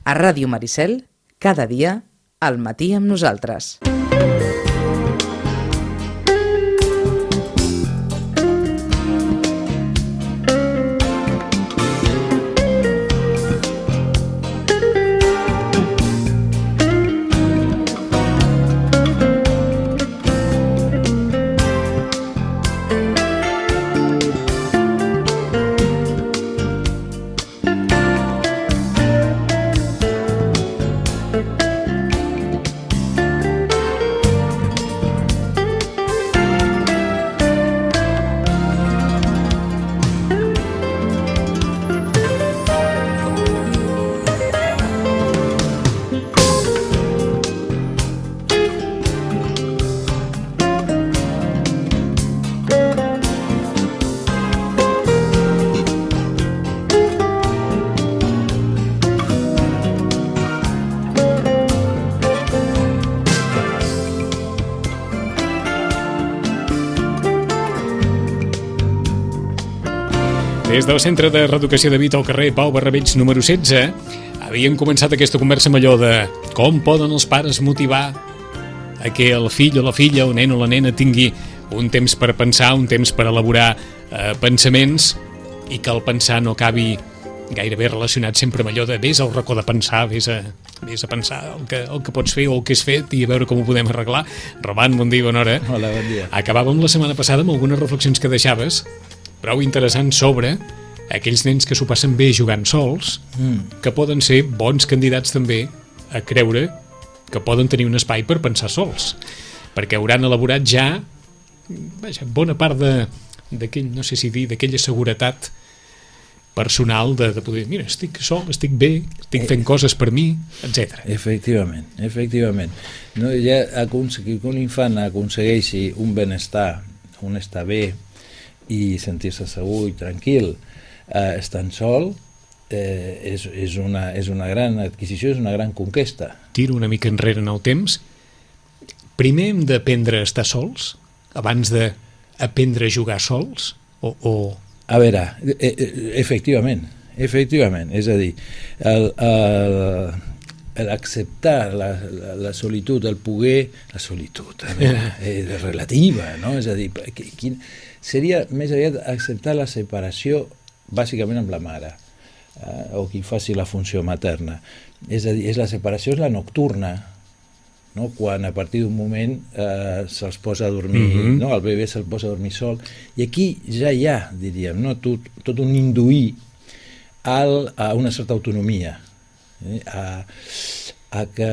A Ràdio Maricel, cada dia, al matí amb nosaltres. Des del Centre de Reeducació de Vita al carrer Pau Barrabeig número 16 havien començat aquesta conversa amb allò de com poden els pares motivar a que el fill o la filla, el nen o la nena tingui un temps per pensar, un temps per elaborar pensaments i que el pensar no acabi gairebé relacionat sempre amb allò de vés al racó de pensar, vés a pensar el que pots fer o el que has fet i a veure com ho podem arreglar. Roman, bon dia, bona hora. Hola, bon dia. Acabàvem la setmana passada amb algunes reflexions que deixaves prou interessant sobre aquells nens que s'ho passen bé jugant sols, que poden ser bons candidats també a creure que poden tenir un espai per pensar sols, perquè hauran elaborat ja bona part d'aquell, no sé si dir, d'aquella seguretat personal de poder, mira, estic sol, estic bé, estic fent coses per mi, etc. Efectivament. No, ja que un infant aconsegueixi un benestar, un estar bé, i sentir-se segur i tranquil estant sol és una gran adquisició, és una gran conquesta. Tiro una mica enrere en el temps. Primer hem d'aprendre a estar sols abans d'aprendre a jugar sols? A veure, efectivament, és a dir, l'acceptar la solitud, el poder, la solitud és relativa, no? És a dir, seria més aviat acceptar la separació bàsicament amb la mare o qui faci la funció materna. És a dir, la separació és la nocturna, no? Quan a partir d'un moment se'ls posa a dormir, no? El bebè se'l posa a dormir sol, i aquí ja hi ha, diríem, no? tot un induir a una certa autonomia, a que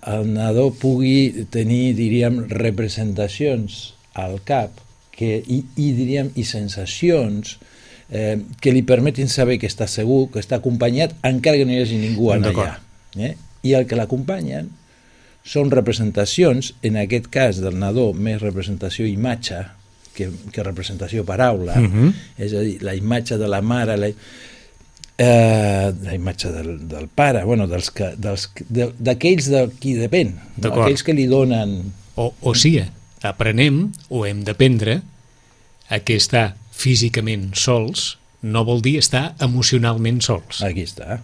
el nadó pugui tenir, diríem, representacions al cap i sensacions que li permetin saber que està segur, que està acompanyat, encara que no hi hagi ningú allà. I el que l'acompanyen són representacions, en aquest cas del nadó, més representació imatge que representació paraula, és a dir, la imatge de la mare, la imatge del pare, d'aquells de qui depèn, aquells que li donen... O sigui, aprenem o hem d'aprendre a que estar físicament sols no vol dir estar emocionalment sols. Aquí està.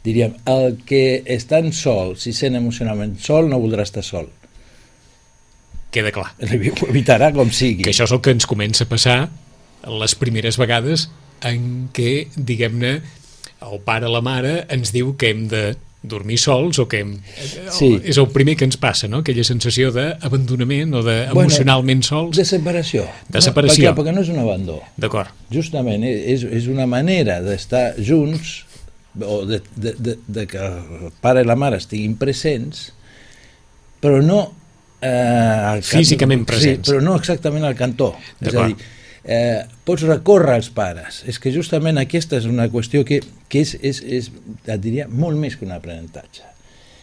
Diríem, el que estan sol, si sent emocionalment sol, no voldrà estar sol. Queda clar. Ho evitarà com sigui. Que això és el que ens comença a passar les primeres vegades en què, diguem-ne, el pare o la mare ens diu que hem de dormir sols o que és el primer que ens passa, no? Aquella sensació d'abandonament o d'emocionalment sols. De separació. Perquè no és un abandó. D'acord. Justament, és una manera d'estar junts o de que el pare i la mare estiguin presents, però no físicament presents. Sí, però no exactament al cantó. És a dir, pots recórrer als pares. És que justament aquesta és una qüestió que és, et diria, molt més que un aprenentatge.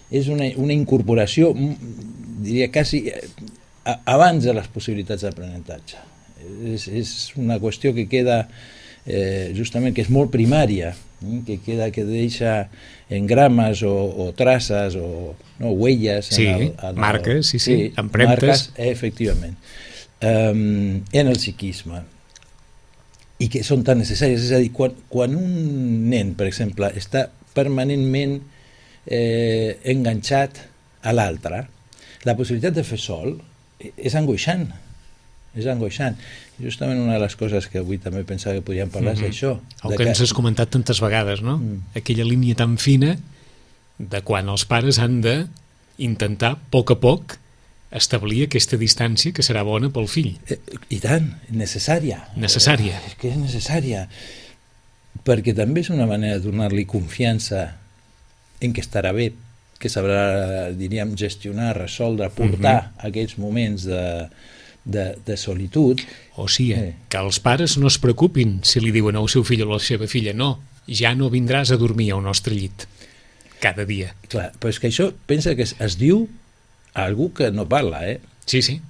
És una incorporació, diria, quasi abans de les possibilitats d'aprenentatge. És una qüestió que queda justament, que és molt primària, que deixa engrames o traces o huelles. Marques, empremtes. Marques, efectivament. En el psiquisme, i que són tan necessàries. És a dir, quan un nen, per exemple, està permanentment enganxat a l'altre. La possibilitat de fer sol és angoixant. És angoixant. Justament una de les coses que avui també pensava que podíem parlar és això. El que ens has comentat tantes vegades, no? Aquella línia tan fina de quan els pares han d'intentar, a poc, establir aquesta distància que serà bona pel fill. I tant, necessària. Necessària. És que és necessària. Perquè també és una manera de donar-li confiança en que estarà bé, que sabrà, diríem, gestionar, resoldre, portar aquells moments de solitud. O sigui, que els pares no es preocupin si li diuen al seu fill o a la seva filla no, ja no vindràs a dormir al nostre llit cada dia. Clar, però és que això pensa que es diu a algú que no parla, Sí, sí.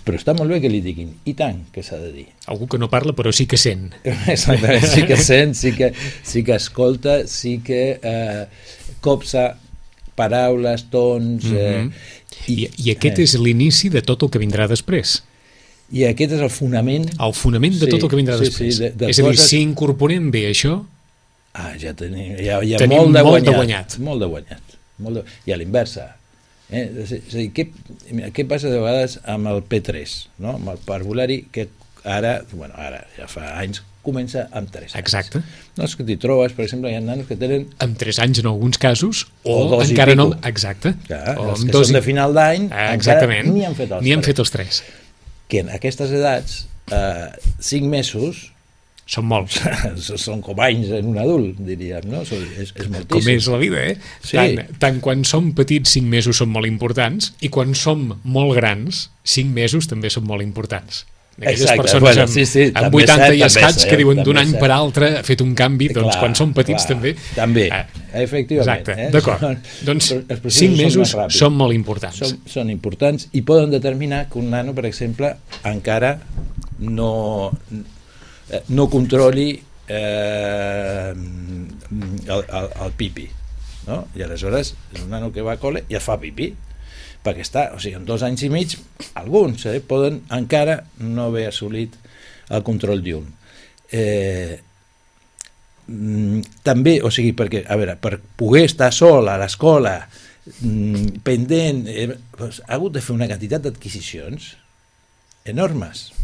Però està molt bé que li diguin, i tant que s'ha de dir. Algú que no parla però sí que sent. Exactament, sí que sent, sí que escolta, sí que copsa paraules, tons... I aquest és l'inici de tot el que vindrà després. I aquest és el fonament... El fonament de tot el que vindrà després. Sí, és a dir, si incorporem bé això... Ja tenim molt de guanyat. Molt de guanyat. I a l'inversa. És a dir, què passa de vegades amb el P3, no? Amb el parvulari, que ara ja fa anys, comença amb 3 anys. Exacte. No, és que t'hi trobes, per exemple, hi ha nanos que tenen... Amb 3 anys en alguns casos, o 2 encara i no... pico. Exacte. Clar, els que són de final d'any, encara ni han fet els 3. Que en aquestes edats, 5 mesos... Són molts. Són com anys en un adult, diríem, no? És moltíssim. Com és la vida, Sí. Tant quan som petits 5 mesos són molt importants i quan som molt grans 5 mesos també són molt importants. Aquelles persones amb 80 i escats que diuen d'un any per altre ha fet un canvi, doncs quan som petits també... També, efectivament. Exacte, d'acord. Doncs 5 mesos són molt importants. Són importants i poden determinar que un nano, per exemple, encara no controli el pipi, no? I aleshores és un nano que va a col·le i es fa pipi perquè està, o sigui, en 2 anys i mig alguns poden encara no haver assolit el control diürn. També, o sigui, perquè, a veure, per poder estar sol a l'escola pendent, ha hagut de fer una quantitat d'adquisicions enormes,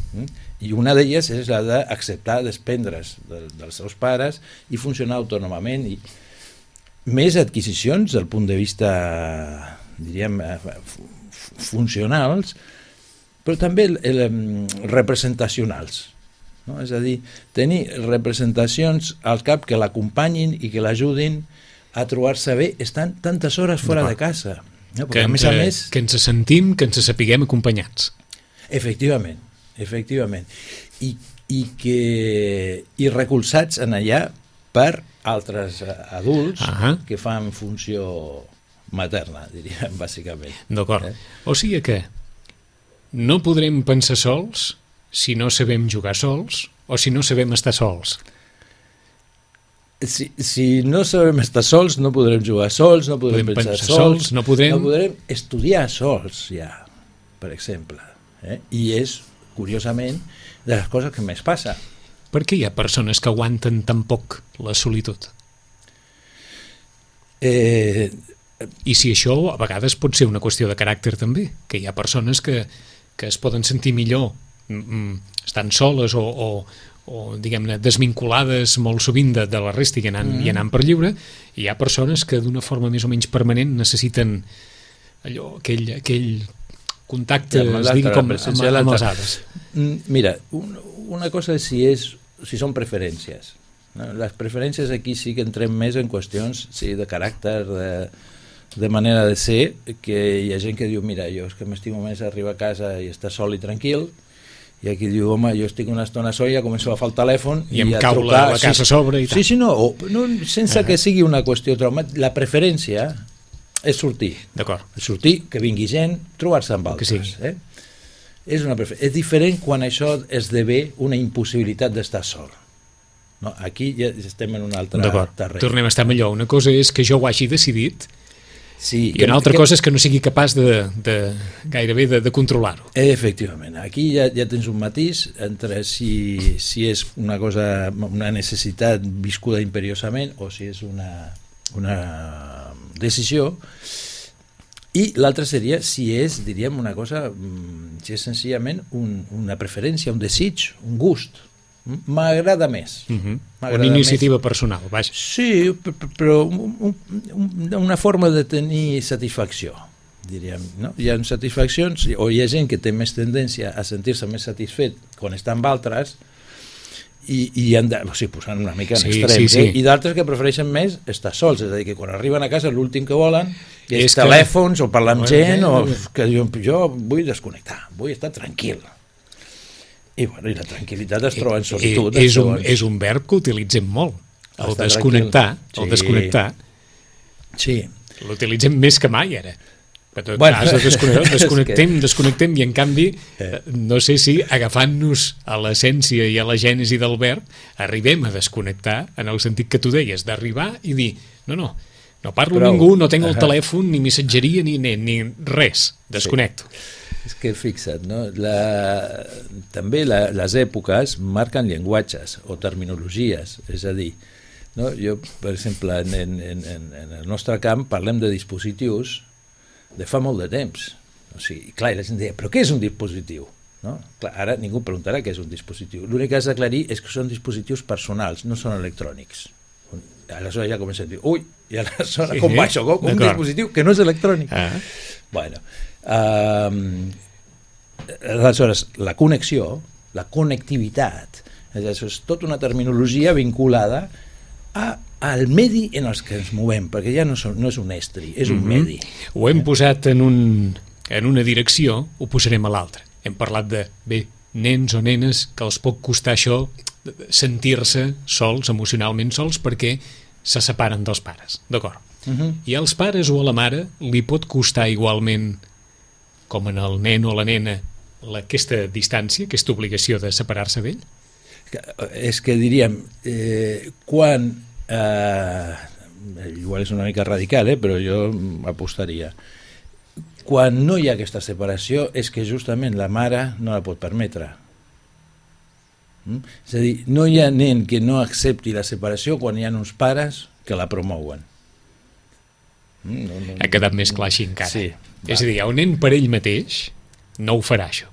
i una d'elles és la d'acceptar desprendre's dels seus pares i funcionar autònomament, i més adquisicions del punt de vista, diríem, funcionals, però també representacionals, no? És a dir, tenir representacions al cap que l'acompanyin i que l'ajudin a trobar-se bé estant tantes hores fora de casa, no? Que ens sentim, que ens sapiguem acompanyats. Efectivament, i recolzats en allà per altres adults que fan funció materna, diríem, bàsicament. D'acord. O sigui que no podrem pensar sols si no sabem jugar sols o si no sabem estar sols. Si no sabem estar sols, no podrem jugar sols, no podrem pensar sols, no podrem estudiar sols, ja, per exemple. I és, curiosament, de les coses que més passa. Per què hi ha persones que aguanten tan poc la solitud? I si això a vegades pot ser una qüestió de caràcter també, que hi ha persones que es poden sentir millor estan soles o diguem-ne, desvinculades molt sovint de la resta i anant per lliure, i hi ha persones que d'una forma més o menys permanent necessiten allò, aquell contacte, es digui com amb les altres. Mira, una cosa és si són preferències. Les preferències aquí sí que entrem més en qüestions de caràcter, de manera de ser, que hi ha gent que diu, mira, jo és que m'estimo més arribar a casa i estar sol i tranquil, i aquí diu, home, jo estic una estona sol i ja començo a agafar el telèfon i em cau la casa a sobre i tal. Sí, no, sense que sigui una qüestió traumàtica. La preferència és sortir. D'acord. Sortir, que vingui gent, trobar-se amb altres. És diferent quan això esdevé una impossibilitat d'estar sol. No, aquí ja estem en un altre terreny. Tornem a estar millor. Una cosa és que jo ho hagi decidit i una altra cosa és que no sigui capaç gairebé de controlar-ho. Efectivament. Aquí ja tens un matís entre si és una cosa, una necessitat viscuda imperiosament o si és una decisió, i l'altre seria si és, diríem, una cosa, si és senzillament una preferència, un desig, un gust. M'agrada més. Una iniciativa personal, vaja. Sí, però una forma de tenir satisfacció, diríem. No? Hi ha satisfaccions, o hi ha gent que té més tendència a sentir-se més satisfet quan està amb altres, i han de, o sigui, posant una mica en extrems, i d'altres que prefereixen més estar sols, és a dir, que quan arriben a casa l'últim que volen és telèfons o parlar amb gent, o que jo vull desconnectar, vull estar tranquil. I, bueno, i la tranquil·litat es troba en solitud. És un verb que utilitzem molt, el desconnectar. El desconnectar. Sí. L'utilitzem més que mai, ara. Desconnectem, i en canvi, no sé si agafant-nos a l'essència i a la gènesi del verb, arribem a desconnectar, en el sentit que tu deies, d'arribar i dir, no parlo amb ningú, no tenc el telèfon, ni missatgeria, ni res, desconnecto. És que fixa't, no? També les èpoques marquen llenguatges o terminologies, és a dir, no? Jo, per exemple, en el nostre camp parlem de dispositius de fa molt de temps. O sigui, clar, la gent deia, però què és un dispositiu? No? Clar, ara ningú preguntarà què és un dispositiu. L'únic que has d'aclarir és que són dispositius personals, no són electrònics. Aleshores ja comença a dir, ui, i aleshores com va això? Com un dispositiu que no és electrònic? Bueno, aleshores la connexió, la connectivitat, és tota una terminologia vinculada al medi en els que ens movem, perquè ja no és un estri, és un medi. Ho hem posat en una direcció, ho posarem a l'altra. Hem parlat de, nens o nenes que els pot costar això, sentir-se sols, emocionalment sols, perquè se separen dels pares, d'acord? I als pares o a la mare li pot costar igualment, com en el nen o la nena, aquesta distància, aquesta obligació de separar-se d'ell? És que diríem, quan, igual és una mica radical, però jo apostaria, quan no hi ha aquesta separació és que justament la mare no la pot permetre. És a dir, no hi ha nen que no accepti la separació quan hi ha uns pares que la promouen. Ha quedat més clar així encara. Sí, és a dir, un nen per ell mateix no ho farà, això.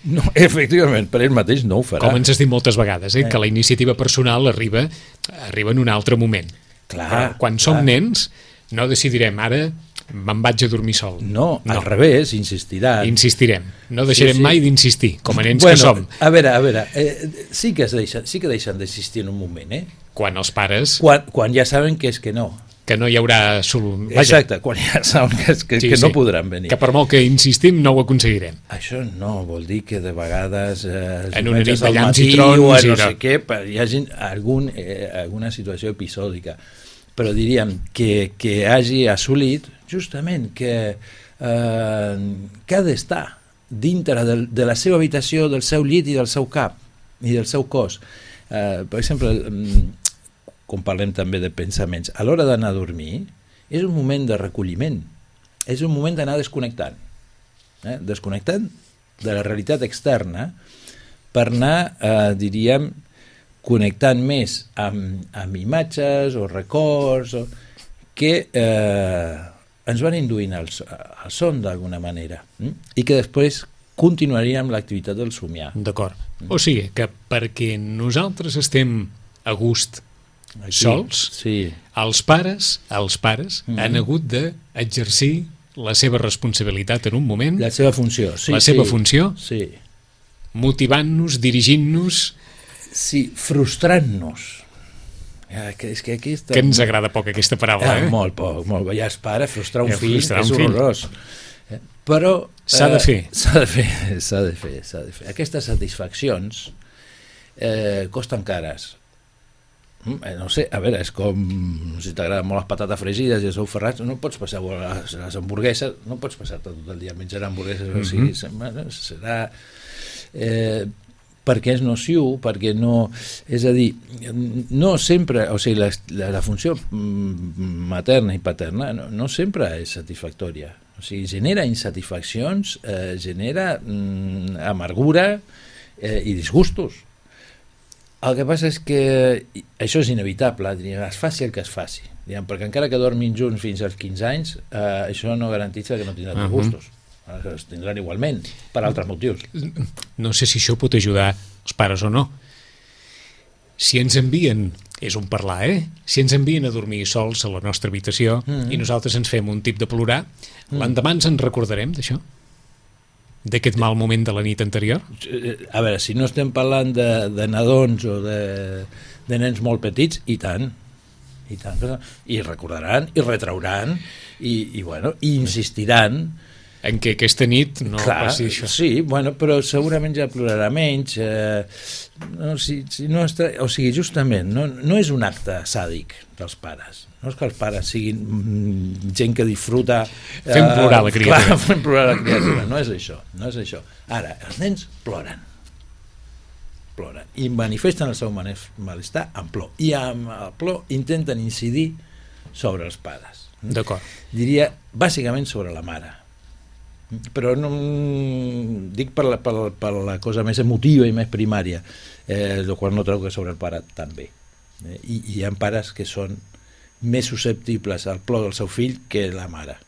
No, efectivament, per ell mateix no ho farà. Com ens has dit moltes vegades, que la iniciativa personal arriba en un altre moment. Clar, però quan som nens no decidirem ara me'n vaig a dormir sol. No, al revés, insistiran. Insistirem, no deixarem mai d'insistir, com a nens que som. A veure, sí que deixen d'insistir en un moment, Quan els pares... Quan ja saben que és que no. Que no hi haurà... Exacte, quan ja saben que no podran venir. Que per molt que insistim no ho aconseguirem. Això no, vol dir que de vegades en una nit de llamps i trons o no sé què, hi hagi alguna situació episòdica, però diríem que hagi assolit justament que ha d'estar dintre de la seva habitació, del seu llit i del seu cap i del seu cos. Per exemple, com parlem també de pensaments, a l'hora d'anar a dormir és un moment de recolliment, és un moment d'anar desconnectant, desconnectant de la realitat externa per anar, diríem, connectant més amb imatges o records que ens van induint al son d'alguna manera i que després continuaríem l'activitat del somiar. D'acord. O sigui, que perquè nosaltres estem a gust sols, els pares han hagut d'exercir la seva responsabilitat en un moment, la seva funció, motivant-nos, dirigint-nos, frustrant-nos. Que ens agrada poc aquesta paraula, Molt poc. Ja es para, frustrar un fill és horrorós. Però s'ha de fer. S'ha de fer. Aquestes satisfaccions costen cares. No sé, a veure, és com si t'agraden molt les patates fregides i els ous ferrats, no pots passar les hamburgueses, no pots passar tot el dia menjant hamburgueses, o sigui, serà perquè és nociu, perquè no, és a dir, no sempre, o sigui, la funció materna i paterna no sempre és satisfactòria, o sigui, genera insatisfaccions, genera amargura i disgustos. El que passa és que això és inevitable, es faci el que es faci, perquè encara que dormin junts fins als 15 anys, això no garantitza que no tindran gustos. Es tindran igualment, per altres motius. No sé si això pot ajudar els pares o no. Si ens envien, és un parlar, si ens envien a dormir sols a la nostra habitació i nosaltres ens fem un tip de plorar, l'endemà ens en recordarem d'això? D'aquest mal moment de la nit anterior? A veure, si no estem parlant de nadons o de nens molt petits, i tant, i recordaran, i retrauran, i insistiran en què aquesta nit no passi això. Sí, però segurament ja plorarà menys. O sigui, justament, no és un acte sàdic dels pares. No és que els pares siguin gent que disfruta... Fem plorar la criatura. Clar, fem plorar la criatura. No és això. Ara, els nens ploren. I manifesten el seu malestar amb plor. I amb el plor intenten incidir sobre els pares. D'acord. Diria, bàsicament sobre la mare. Però no dic per la cosa més emotiva i més primària, el qual no treu que sobre el pare també. I hi ha pares que són més susceptibles al plor del seu fill que la mare.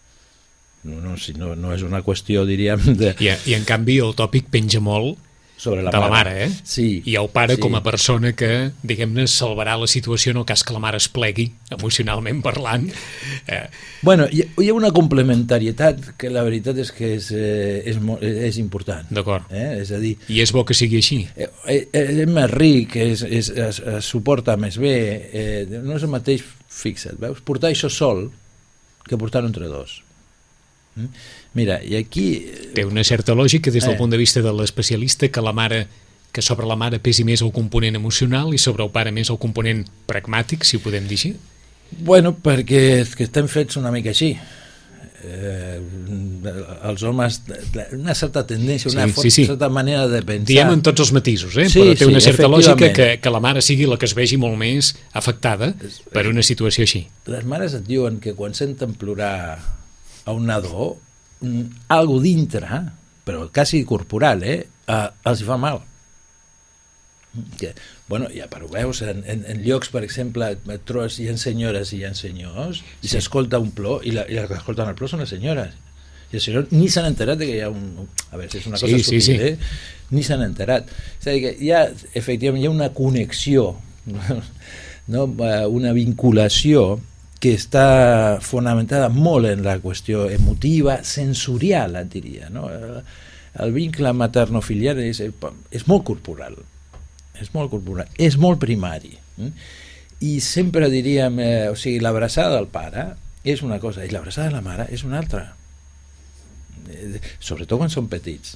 No és una qüestió, diríem... I en canvi el tòpic penja molt sobre la mare, Sí. I el pare com a persona que, diguem-ne, salvarà la situació en el cas que la mare es plegui, emocionalment parlant. Hi ha una complementarietat que la veritat és que és important. D'acord. És a dir... I és bo que sigui així. És més ric, es suporta més bé, no és el mateix, fixa't, veus? Portar això sol que portar-ho entre dos. Mira, i aquí... Té una certa lògica des del punt de vista de l'especialista que sobre la mare pesi més el component emocional i sobre el pare més el component pragmàtic, si ho podem dir així? Perquè estem fets una mica així. Els homes, una certa tendència, certa manera de pensar... Diem en tots els matisos, però té una certa lògica que la mare sigui la que es vegi molt més afectada per una situació així. Les mares et diuen que quan senten plorar a un nadó, algo dintre, però quasi corporal, els hi fa mal. Ja ho veus, en llocs, per exemple, hi ha senyores i hi ha senyors, i s'escolta un plor, i les que escolten el plor són les senyores. I els senyors ni s'han enterat que hi ha un... A veure, si és una cosa sutil, ni s'han enterat. És a dir, que efectivament hi ha una connexió, una vinculació que està fonamentada molt en la qüestió emotiva, sensorial, et diria. El vincle materno-filial és molt corporal, és molt primari. I sempre diríem, l'abraçada del pare és una cosa i l'abraçada de la mare és una altra, sobretot quan són petits.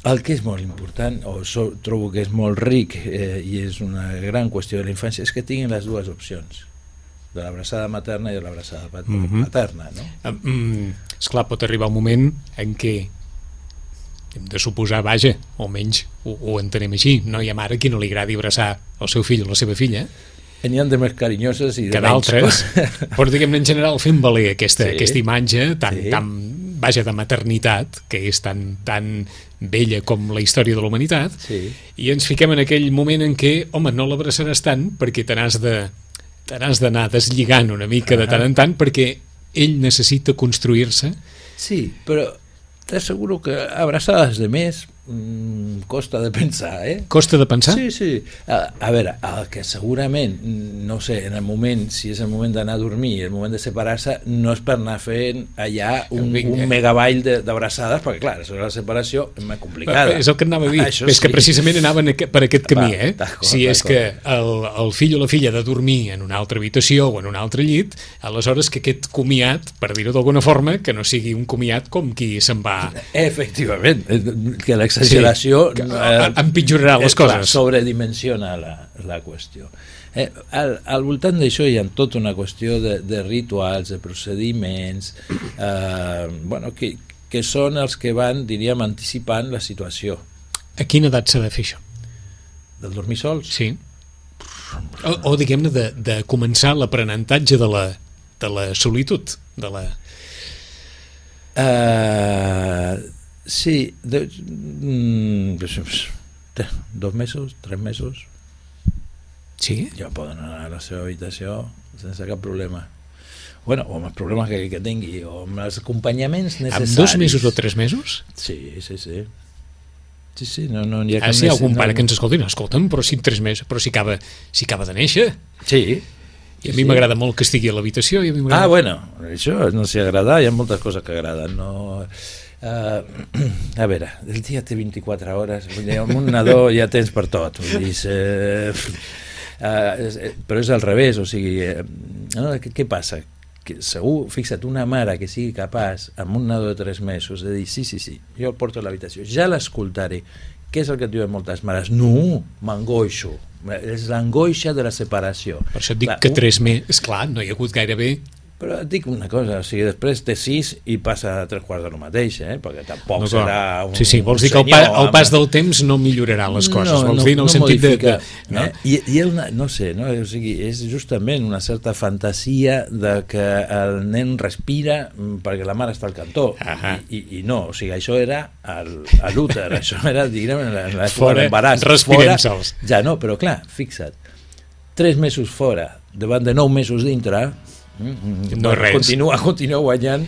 El que és molt important, o trobo que és molt ric i és una gran qüestió de la infància, és que tinguin les dues opcions, de l'abraçada materna i de l'abraçada paterna, no? Esclar, pot arribar un moment en què hem de suposar, vaja, o almenys ho entenem així, no hi ha mare qui no li agradi abraçar el seu fill o la seva filla. N'hi ha de més carinyoses i de menys. Que d'altres, però diguem-ne en general fent valer aquesta imatge tan de maternitat, que és tan vella com la història de la humanitat, i ens fiquem en aquell moment en què, home, no l'abraçaràs tant perquè te n'has d'anar deslligant una mica de tant en tant perquè ell necessita construir-se. Sí, però t'asseguro que abraçades de més costa de pensar, Costa de pensar? Sí. A veure, el que segurament, no sé, en el moment, si és el moment d'anar a dormir, el moment de separar-se, no és per anar fent allà un megaball d'abraçades, perquè clar, això és la separació més complicada. És el que anava a dir, és que precisament anaven per aquest camí, Si és que el fill o la filla ha de dormir en una altra habitació o en un altre llit, aleshores que aquest comiat, per dir-ho d'alguna forma, que no sigui un comiat com qui se'n va... Efectivament, que l'exageració empitjorarà les coses, sobredimensiona la qüestió. Al voltant d'això hi ha tota una qüestió de rituals, de procediments que són els que van, diríem, anticipant la situació. A quina edat s'ha de fer això? Del dormir sols? Sí. O diguem-ne de començar l'aprenentatge de la solitud, de la... Sí, 2 mesos, 3 mesos. Sí? Ja poden anar a la seva habitació sense cap problema. Bueno, o amb els problemes que tingui, o amb els acompanyaments necessaris. Amb 2 mesos o 3 mesos? Sí. Sí, no hi ha cap si hi ha algun pare que ens escolti, no, escolta'm, però si en 3 mesos, però si acaba de néixer. Sí. I a mi m'agrada molt que estigui a l'habitació. Bueno, això no s'hi agrada, hi ha moltes coses que agraden, no... a veure, el dia té 24 hores, amb un nadó ja tens per tot, vull dir, però és al revés, o sigui, què passa? Que segur, fixa't, una mare que sigui capaç amb un nadó de 3 mesos de dir sí, jo el porto a l'habitació, ja l'escoltaré. Què és el que et diuen moltes mares? No, m'angoixo, és l'angoixa de la separació. Per això et dic que 3 mesos, esclar, no hi ha hagut gairebé. Però et dic una cosa, o sigui, després té 6 i passa a 3/4 de lo mateix, perquè tampoc no, serà un Sí, vols dir que el pas del temps no millorarà les coses, vols dir en el sentit de... No? I no sé, no? O sigui, és justament una certa fantasia de que el nen respira perquè la mare està al cantó, i no, o sigui, això era a l'úter, això era, diguem, en l'època de l'embaràs. Respirem sols. Ja no, però clar, fixa't, 3 mesos fora, davant de 9 mesos dintre, no res. Continua guanyant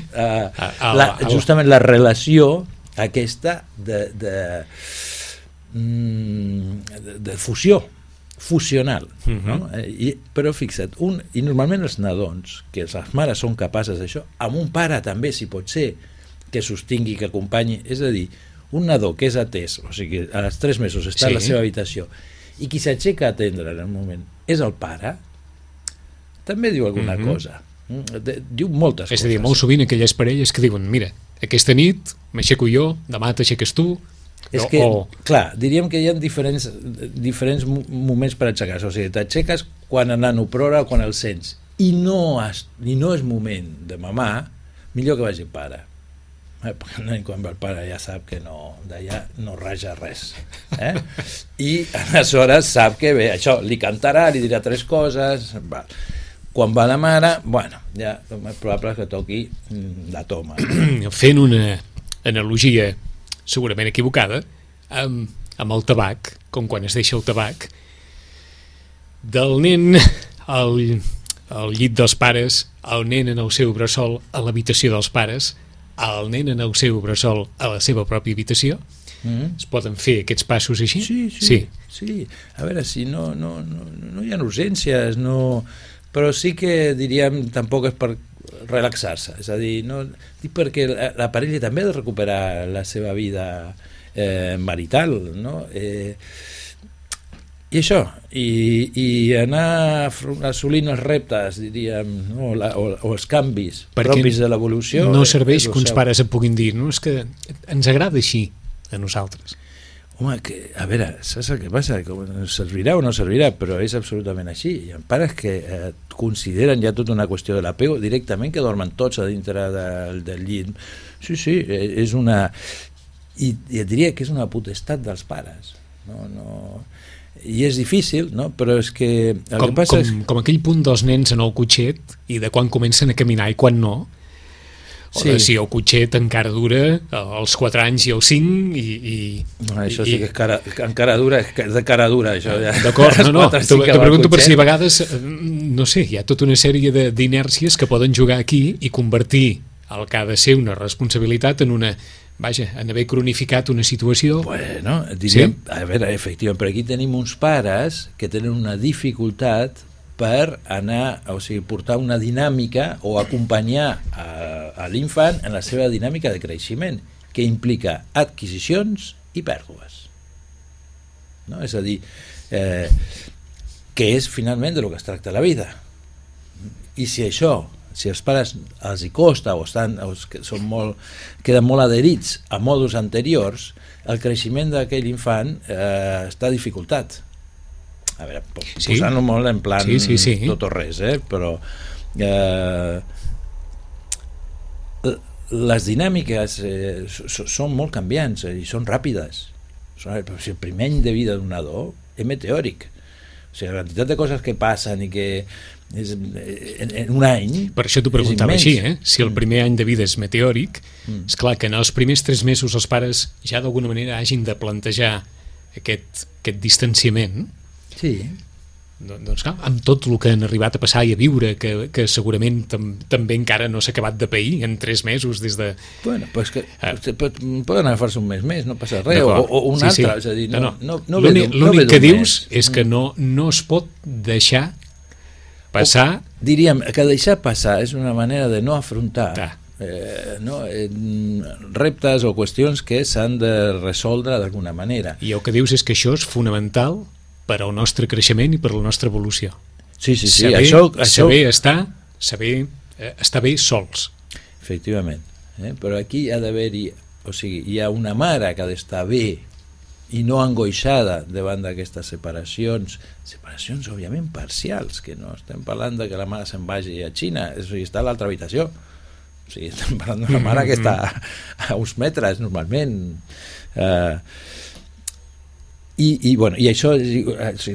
justament la relació aquesta de fusió fusional, no? Però fixa't, i normalment els nadons, que les mares són capaces d'això, amb un pare també, si pot ser, que sostingui, que acompanyi, és a dir, un nadó que és atès, o sigui, als 3 mesos està a la seva habitació, i qui s'aixeca a atendre en el moment és el pare, també diu alguna cosa. Diu moltes coses. És a dir, molt sovint aquelles parelles que diuen, mira, aquesta nit m'aixeco jo, demà t'aixeques tu. És que, clar, diríem que hi ha diferents moments per aixecar-se. O sigui, t'aixeques quan el nano plora o quan el sents. I no és moment de mamar, millor que vagi el pare. Perquè el nen, quan va el pare, ja sap que d'allà no raja res. I aleshores sap que bé, això, li cantarà, li dirà 3 coses, quan va la mare, bueno, ja és probable que toqui la toma. Fent una analogia segurament equivocada, amb el tabac, com quan es deixa el tabac, del nen al llit dels pares, el nen en el seu bressol a l'habitació dels pares, el nen en el seu bressol a la seva pròpia habitació. Es poden fer aquests passos així? Sí. A veure, si no hi ha urgències, però sí que diríem tampoc és per relaxar-se, és a dir, dic perquè la parella també ha de recuperar la seva vida marital, no? I això, i anar assolint els reptes, diríem, no? o els canvis propis de l'evolució. No serveix que uns pares et puguin dir, no, és que ens agrada així a nosaltres. Home, a veure, saps el que passa? Servirà o no servirà, però és absolutament així. Hi ha pares que consideren ja tota una qüestió de l'apego directament, que dormen tots a dintre del llit. Sí, és una... I et diria que és una potestat dels pares. I és difícil, no? Però és que... Com aquell punt dels nens en el cotxet i de quan comencen a caminar i quan no. O si el cotxet encara dura als 4 anys i als 5 això sí que encara dura, és de cara dura, això ja. D'acord, te pregunto per si a vegades, no sé, hi ha tota una sèrie d'inèrcies que poden jugar aquí i convertir el que ha de ser una responsabilitat en una... Vaja, en haver cronificat una situació... Bueno, diríem, a veure, efectivament, però aquí tenim uns pares que tenen una dificultat per anar, o sigui, portar una dinàmica o acompanyar a l'infant en la seva dinàmica de creixement, que implica adquisicions i pèrdues. No? És a dir, que és finalment de lo que es tracta la vida. I si els pares els hi costa o queden molt adherits a mòduls anteriors, el creixement d'aquell infant està dificultat. A veure, posant-ho molt en plan tot o res, però les dinàmiques són molt canviants i són ràpides. El primer any de vida d'un nadó és meteòric. O sigui, la quantitat de coses que passen i que en un any... Per això t'ho preguntava així, si el primer any de vida és meteòric, és clar que en els primers 3 mesos els pares ja d'alguna manera hagin de plantejar aquest distanciament. Sí. doncs clar, amb tot el que han arribat a passar i a viure, que segurament també encara no s'ha acabat de pair en 3 mesos des de... Bueno, pues que poden agafar-se un mes més, no passa res, o un altre, és a dir, l'únic que dius és que no es pot deixar passar... Diríem que deixar passar és una manera de no afrontar reptes o qüestions que s'han de resoldre d'alguna manera. I el que dius és que això és fonamental per al nostre creixement i per a la nostra evolució. Sí. Saber estar bé sols. Efectivament. Però aquí ha d'haver-hi, o sigui, hi ha una mare que ha d'estar bé i no angoixada davant d'aquestes separacions, òbviament parcials, que no estem parlant de que la mare se'n vagi a Xina, està a l'altra habitació. O sigui, estem parlant d'una mare que està a uns metres normalment. I això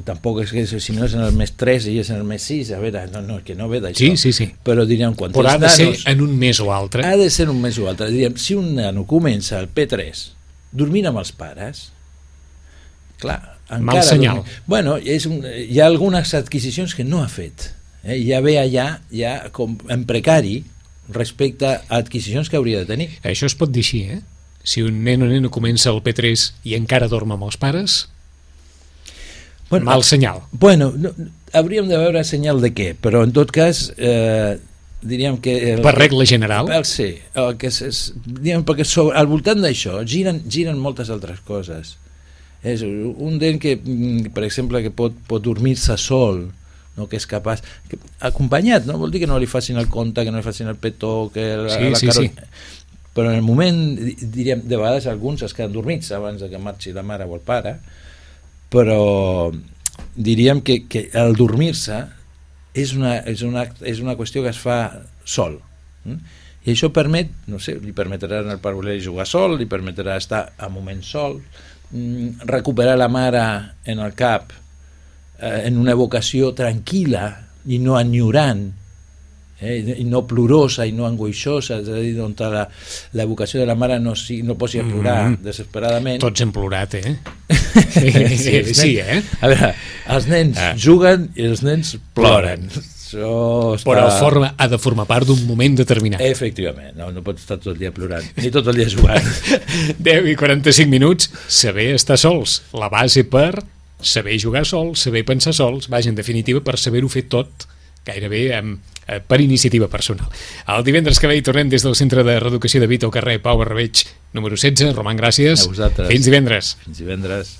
tampoc és que si no és en el mes 3 i és en el mes 6, a veure, que no ve d'això. Sí. Però diríem, quan però ha de ser en un mes o altre. Ha de ser un mes o altre. Diríem, si un nano comença al P3 dormint amb els pares, clar, encara... Mal senyal. Bueno, hi ha algunes adquisicions que no ha fet. Ja ve allà ja com en precari respecte a adquisicions que hauria de tenir. Això es pot dir així, Si un nen o nena comença al P3 i encara dorm amb els pares, mal senyal. Bueno, hauríem de veure senyal de què, però en tot cas diríem que... Per regla general? Sí, perquè al voltant d'això giren moltes altres coses. És un nen que, per exemple, que pot dormir-se sol, no, que és capaç, acompanyat, no vol dir que no li facin el conte, que no li facin el petó, que sí. Però en el moment, diríem, de vegades alguns es queden dormits abans de que marxi la mare o el pare, però diríem que el dormir-se és una qüestió que es fa sol, i això permet, no sé, li permetrà al pare voler jugar sol, li permetrà estar a moments sol, recuperar la mare en el cap en una evocació tranquil·la i no enyorant, i no plorosa i no angoixosa, és a dir, on l'evocació de la mare no posi a plorar desesperadament. Tots hem plorat, Sí, A veure, els nens juguen i els nens ploren. Però ha de formar part d'un moment determinat. Efectivament, no pot estar tot el dia plorant, ni tot el dia jugant. 10:45, saber estar sols, la base per saber jugar sols, saber pensar sols, vaja, en definitiva, per saber-ho fer tot gairebé per iniciativa personal. El divendres que ve hi tornem des del Centre de Reeducació de Vita al carrer Pau Barrabeig número 16. Roman, gràcies. A vosaltres. Fins divendres. Fins divendres.